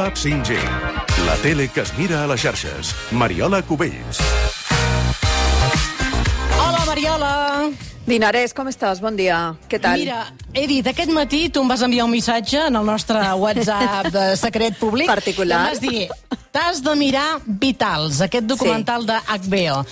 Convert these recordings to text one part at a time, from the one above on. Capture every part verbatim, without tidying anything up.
Pop-Up cinc G. La tele que es mira a les xarxes. Mariola Cubells. Hola, Mariola. Dinarès, com estàs? Bon dia. Què tal? Mira, he dit, aquest matí tu em vas enviar un missatge en el nostre WhatsApp de secret públic. Particular. I em vas dir, t'has de mirar Vitals, aquest documental sí. de H B O.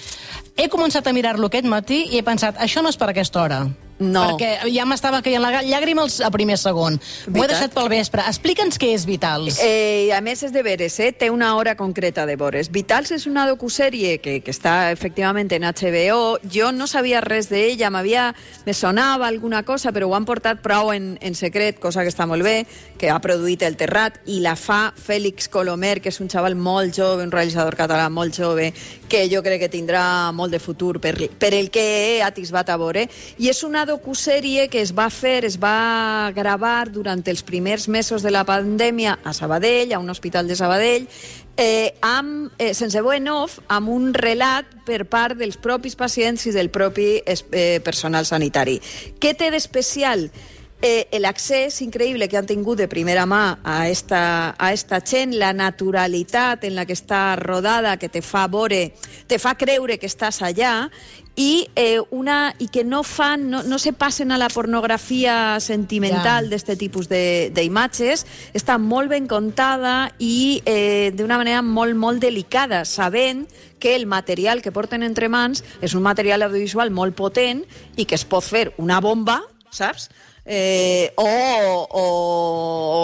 He començat a mirar-lo aquest matí i he pensat, això no és per aquesta hora. No. Perquè ja m'estava caient la llàgrima a primer segon. M'ho he deixat pel vespre. Explica'ns què és Vitals. Eh, a més és de veres, eh? Té una hora concreta de veres. Vitals és una docusèrie que, que està efectivament en H B O. Jo no sabia res d'ella, m'havia... me sonava alguna cosa, però ho han portat prou en, en secret, cosa que està molt bé, que ha produït El Terrat, i la fa Félix Colomer, que és un xaval molt jove, un realitzador català molt jove, que jo crec que tindrà molt de futur per, per el que he atisbat a veure. I és una docusèrie que es va fer, es va gravar durant els primers mesos de la pandèmia a Sabadell, a un hospital de Sabadell, eh, amb, eh, sense veu en off, amb un relat per part dels propis pacients i del propi eh, personal sanitari. Què té d'especial? Eh, l'accés increïble que han tingut de primera mà a esta, a esta gent, la naturalitat en la que està rodada, que te fa veure, te fa creure que estàs allà, i, eh, una, i que no fan, no, no se passen a la pornografia sentimental yeah. d'este tipus d'imatges. Està molt ben contada i eh, d'una manera molt, molt delicada, sabent que el material que porten entre mans és un material audiovisual molt potent i que es pot fer una bomba, saps? Eh, o, o,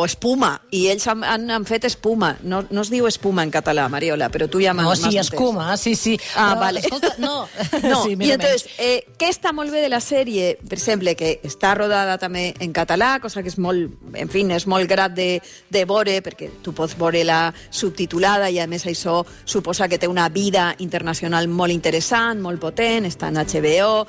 o espuma, i ells han, han, han fet espuma. No, no es diu espuma en català, Mariola, però tu ja m'has entès. No, sí, escuma, sí, sí. Ah, però, vale. Escolta, no. no. Sí, I entonces, eh, què està molt bé de la sèrie? Per exemple, que està rodada també en català, cosa que és molt, en fi, és molt grat de, de veure, perquè tu pots veure-la subtitulada i a més això suposa que té una vida internacional molt interessant, molt potent, està en H B O.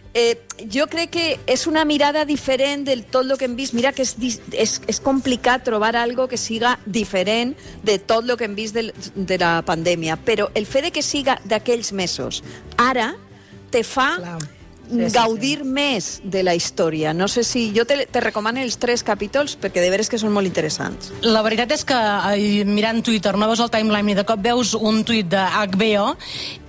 Eh, jo crec que és una mirada diferent del tot el que hem vist. Mira que és, és, és complicat trobar algo que siga diferent de tot el que hem vist de, de la pandèmia, però el fet de que siga d'aquells mesos ara te fa Clar. Sí, sí, gaudir sí. més de la història. No sé si... Jo te, te recomano els tres capítols perquè de veres que són molt interessants. La veritat és que mirant Twitter no veus el timeline i de cop veus un tuit de H B O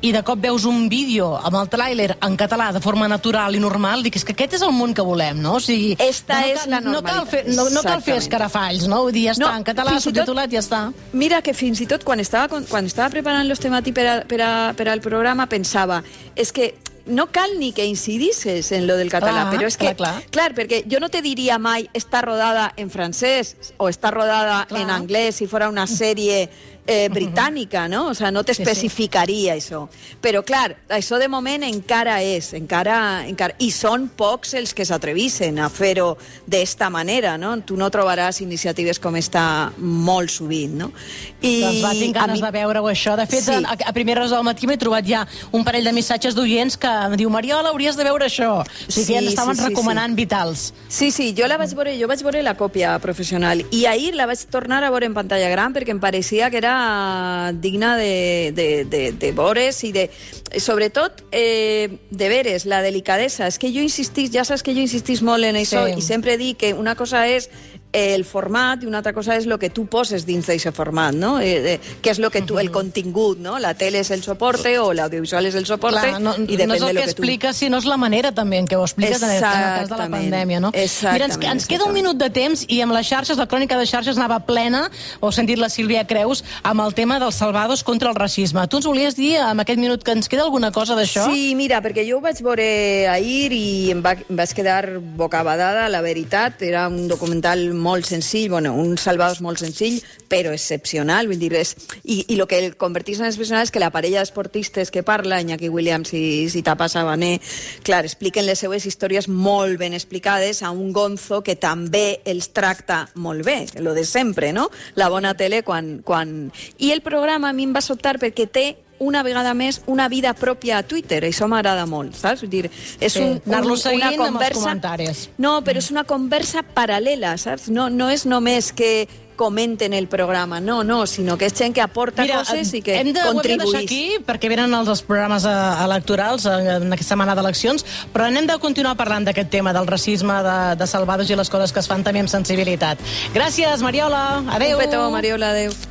i de cop veus un vídeo amb el tràiler en català de forma natural i normal, dic, és que aquest és el món que volem, no? O sigui, Esta no és cal, la normalitat. No cal fer, no, no cal fer escarafalls, no? Vull dir, ja està, no, en català, subtitulat, ja està. Mira que fins i tot quan estava, quan estava preparant los temàtics per, a, per, a, per al programa pensava, és que no cal ni que incidisses en lo del català, clar, però és que, clar, clar. clar, perquè jo no te diria mai està rodada en francès o està rodada clar. en anglès si fora una sèrie eh, britànica, no? O sea, no t'especificaria sí, sí. això. Però, clar, això de moment encara és, encara, encara... I són pocs els que s'atrevissen a fer-ho d'esta manera, no? Tu no trobaràs iniciatives com esta molt sovint, no? I doncs va, tinc ganes mi... de veure-ho, això. De fet, sí. a, a primeres hores del matí m'he trobat ja un parell de missatges d'oients que em diu, Mariola, hauries de veure això. O sigui, sí, que ja estaven sí, sí, recomanant sí. Vitals. Sí, sí, jo la vaig veure, jo vaig veure la còpia professional i ahir la vaig tornar a veure en pantalla gran perquè em pareixia que era digna de, de, de, de veures i de... Sobretot, eh, de veres, la delicadesa. És que jo insistís, ja saps que jo insistís molt en això sí. i sempre dic que una cosa és el format i una altra cosa és el que tu poses dins d'aquest format, no? Eh, eh, que és lo que tu, el contingut, no? La tele és el soporte o l'audiovisual és el soporte. Clar, no, i depèn no és el de lo que, que tu... explica, sinó és la manera també en què ho expliques en el cas de la pandèmia, no? Mira, ens, ens queda un minut de temps i amb les xarxes, la crònica de xarxes anava plena, ho ha sentit la Sílvia Creus, amb el tema dels salvados contra el racisme. Tu ens volies dir, amb aquest minut, que ens queda alguna cosa d'això? Sí, mira, perquè jo ho vaig veure ahir i em, va, em vaig quedar bocabadada, la veritat. Era un documental molt senzill, bueno, un Salvados molt senzill, però excepcional, vull dir, és... I, i el que el convertís en excepcional és que la parella d'esportistes que parla, Iñaki Williams i Zitapa Sabané, clar, expliquen les seues històries molt ben explicades a un Gonzo que també els tracta molt bé, lo de sempre, no? La bona tele quan... quan... I el programa a mi em va sobtar perquè té una vegada més una vida pròpia a Twitter. Això m'agrada molt, saps? Vull dir, és sí, un, un, anar-lo seguint una conversa... amb els comentaris. No, però és una conversa paral·lela, saps? No, no és només que comenten el programa, no, no, sinó que és gent que aporta Mira, coses i que hem de, contribuïs. Ho hem de deixar aquí, perquè venen els, els programes eh, electorals en aquesta setmana d'eleccions, però n'hem de continuar parlant d'aquest tema, del racisme, de, de Salvados i les coses que es fan també amb sensibilitat. Gràcies, Mariola. Adéu. Un petó, Mariola, adéu.